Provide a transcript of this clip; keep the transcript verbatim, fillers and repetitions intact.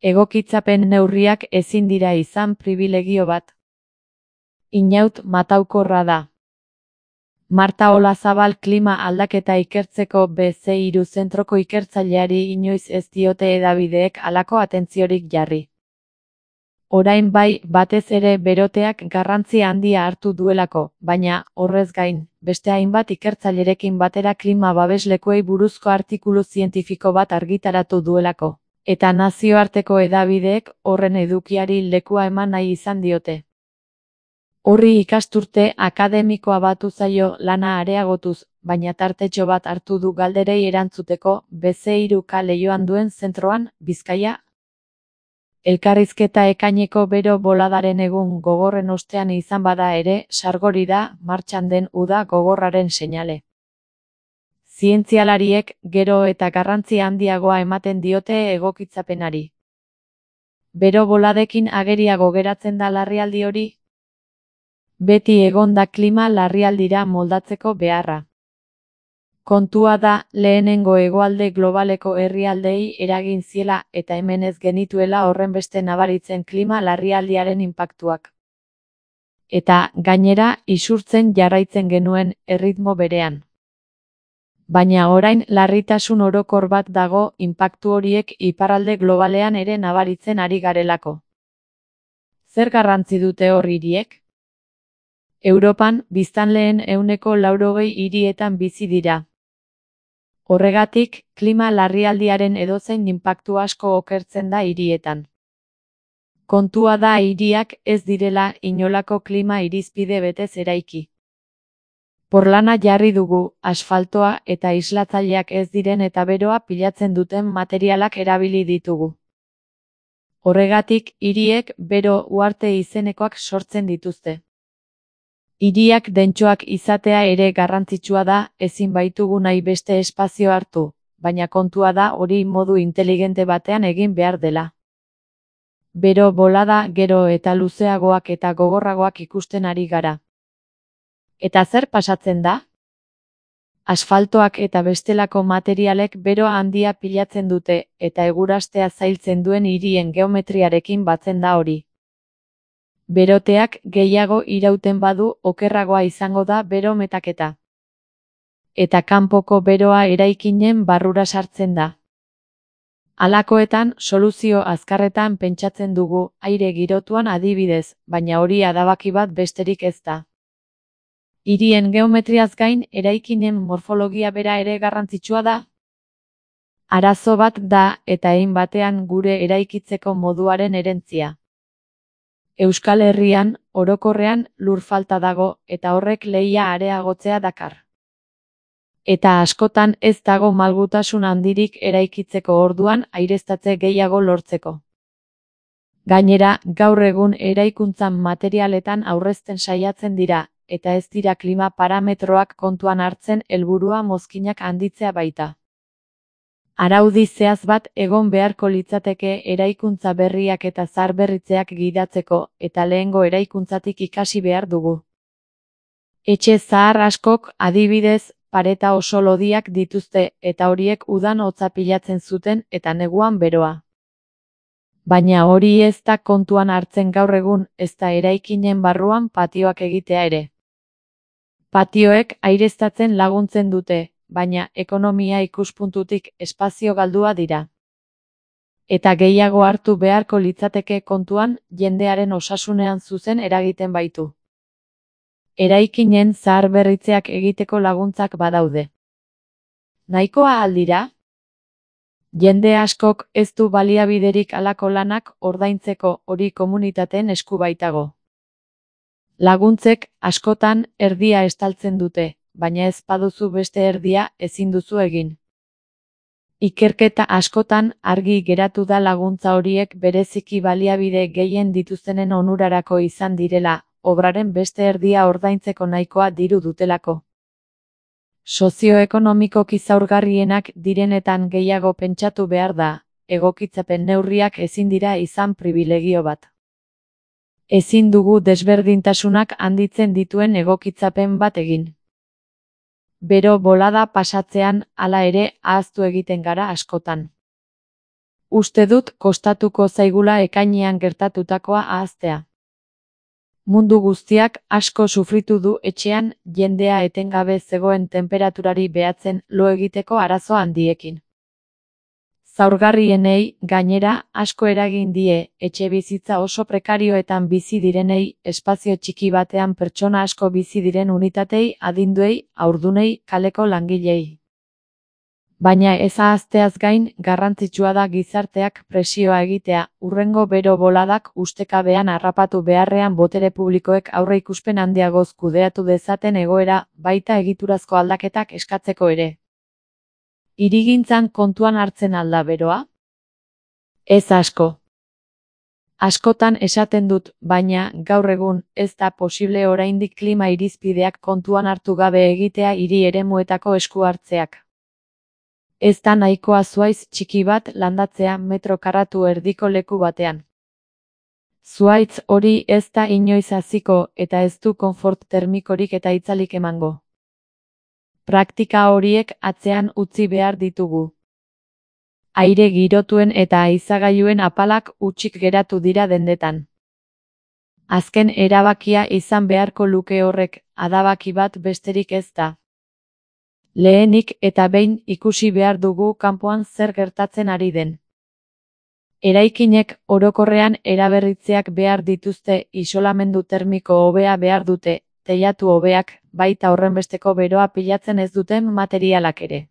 Egokitzapen neurriak ezin dira izan pribilegio bat. Inaut mataukorra da. Marta Olazabal klima aldaketa ikertzeko be ze hiru zentroko ikertzaileari inoiz ez diote hedabideek halako atentziorik jarri. Orain bai, batez ere beroteak garrantzi handia hartu duelako, baina, horrez gain, beste hainbat ikertzailerekin batera klima babeslekuei buruzko artikulu zientifiko bat argitaratu duelako, eta nazioarteko hedabideek horren edukiari lekua eman nahi izan diote. Horri ikasturte akademikoa batu zaio lana areagotuz, baina tartetxo bat hartu du galderei erantzuteko be ze hiru K Leioan duen zentroan, Bizkaia. Elkarrizketa ekaineko bero boladaren egun gogorren ostean izan bada ere, sargori da, martxan den uda gogorraren seinale. Zientzialariek gero eta garrantzi handiagoa ematen diote egokitzapenari. Bero boladekin ageriago geratzen da larrialdi hori? Beti egon da klima larrialdira moldatzeko beharra. Kontua da, lehenengo hegoalde globaleko herrialdeei eragin ziela eta hemen ez genituela horrenbeste nabaritzen klima larrialdiaren inpaktuak. Eta, gainera, isurtzen jarraitzen genuen erritmo berean. Baina orain larritasun orokor bat dago inpaktu horiek iparralde globalean ere nabaritzen ari garelako. Zer garrantzi dute hor hiriek? Europan, biztanleen ehuneko laurogei hirietan bizi dira. Horregatik, klima larrialdiaren edozein inpaktu asko okertzen da hirietan. Kontua da hiriak ez direla inolako klima irizpide betez eraiki. Porlana jarri dugu, asfaltoa eta islatzaileak ez diren eta beroa pilatzen duten materialak erabili ditugu. Horregatik, hiriek bero uharte izenekoak sortzen dituzte. Hiriak dentsoak izatea ere garrantzitsua da, ezin baitugu nahi beste espazio hartu, baina kontua da hori modu inteligente batean egin behar dela. Bero bolada gero eta luzeagoak eta gogorragoak ikusten ari gara. Eta zer pasatzen da? Asfaltoak eta bestelako materialek bero handia pilatzen dute, eta egurastea zailtzen duen hirien geometriarekin batzen da hori. Beroteak gehiago irauten badu okerragoa izango da bero metaketa. Eta kanpoko beroa eraikinen barrura sartzen da. Halakoetan, soluzio azkarretan pentsatzen dugu, aire girotuan adibidez, baina hori adabaki bat besterik ez da. Hirien geometriaz gain, eraikinen morfologia bera ere garrantzitsua da. Arazo bat da, eta hein batean gure eraikitzeko moduaren herentzia. Euskal Herrian, orokorrean, lur falta dago, eta horrek lehia areagotzea dakar. Eta askotan ez dago malgutasun handirik eraikitzeko orduan aireztatze gehiago lortzeko. Gainera, gaur egun eraikuntzan materialetan aurrezten saiatzen dira, eta ez dira klima parametroak kontuan hartzen helburua mozkinak handitzea baita. Araudi zehaz bat egon beharko litzateke eraikuntza berriak eta zaharberritzeak gidatzeko, eta lehengo eraikuntzatik ikasi behar dugu. Etxe zahar askok, adibidez, pareta oso lodiak dituzte, eta horiek udan hotza pilatzen zuten eta neguan beroa. Baina hori ez da kontuan hartzen gaur egun, ez da eraikinen barruan patioak egitea ere. Patioek aireztatzen laguntzen dute, baina ekonomia ikuspuntutik espazio galdua dira. Eta gehiago hartu beharko litzateke kontuan, jendearen osasunean zuzen eragiten baitu. Eraikinen zaharberritzeak egiteko laguntzak badaude. Nahikoa aldira? Jende askok ez du baliabiderik halako lanak ordaintzeko, hori komunitateen esku baitago. Laguntzek, askotan, erdia estaltzen dute, baina ez baduzu beste erdia ezin duzu egin. Ikerketa askotan argi geratu da laguntza horiek bereziki baliabide gehien dituztenen onurarako izan direla, obraren beste erdia ordaintzeko nahikoa diru dutelako. Sozioekonomikoki zaurgarrienak direnetan gehiago pentsatu behar da, egokitzapen neurriak ezin dira izan pribilegio bat. Ezin dugu desberdintasunak handitzen dituen egokitzapen bat egin. Bero bolada pasatzean, hala ere, ahaztu egiten gara askotan. Uste dut kostatuko zaigula ekainean gertatutakoa ahaztea. Mundu guztiak asko sufritu du etxean jendea etengabe zegoen tenperaturari behatzen lo egiteko arazo handiekin. Zaurgarrienei, gainera, asko eragin die, etxebizitza oso prekarioetan bizi direnei, espazio txiki batean pertsona asko bizi diren unitatei, adinduei, haurdunei, kaleko langilei. Baina ez ahazteaz gain, garrantzitsua da gizarteak presioa egitea, hurrengo bero boladak ustekabean harrapatu beharrean botere publikoek aurreikuspen handiagoz kudeatu dezaten egoera, baita egiturazko aldaketak eskatzeko ere. Hirigintzan kontuan hartzen alda beroa? Ez asko. Askotan esaten dut, baina, gaur egun, ez da posible oraindik klima irizpideak kontuan hartu gabe egitea hiri eremuetako esku hartzeak. Ez da nahikoa zuhaitz txiki bat landatzea metro karratu erdiko leku batean. Zuhaitz hori ez da inoiz haziko eta ez du konfort termikorik eta itzalik emango. Praktika horiek atzean utzi behar ditugu. Aire girotuen eta haizagailuen apalak hutsik geratu dira dendetan. Azken erabakia izan beharko luke horrek, adabaki bat besterik ez da. Lehenik eta behin ikusi behar dugu kanpoan zer gertatzen ari den. Eraikinek orokorrean eraberritzeak behar dituzte, isolamendu termiko hobea behar dute, teilatu hobeak, baita horrenbesteko beroa pilatzen ez duten materialak ere.